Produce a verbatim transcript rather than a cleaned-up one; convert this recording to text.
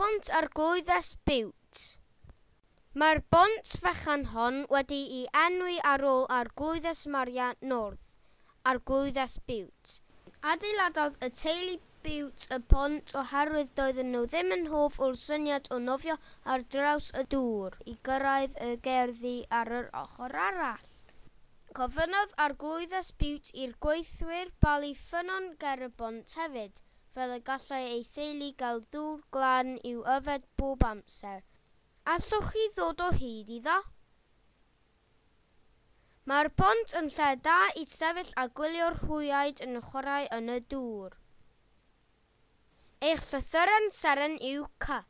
Pont Arglwyddes Bute. Mae'r bont fechan hon wedi'i enwi ar ôl Arglwyddes Maria North, Arglwyddes Bute. Adeiladodd y teulu Bute y bont oherwydd doedden nhw ddim yn hoff o'r syniad o nofio ar draws y dŵr i gyrraedd y gerddi ar yr ochr arall. Gofynnodd Arglwyddes Bute i'r gweithwyr balu ffynnon ger y bont hefyd, fel y gallai ei theulu gael dŵr glân i'w yfed bob amser. Allwch chi ddod o hyd iddo? Mae'r bont yn lle da i sefyll a gwylio'r hwyaid yn chwarae yn y dŵr. Eich llythyren seren yw C.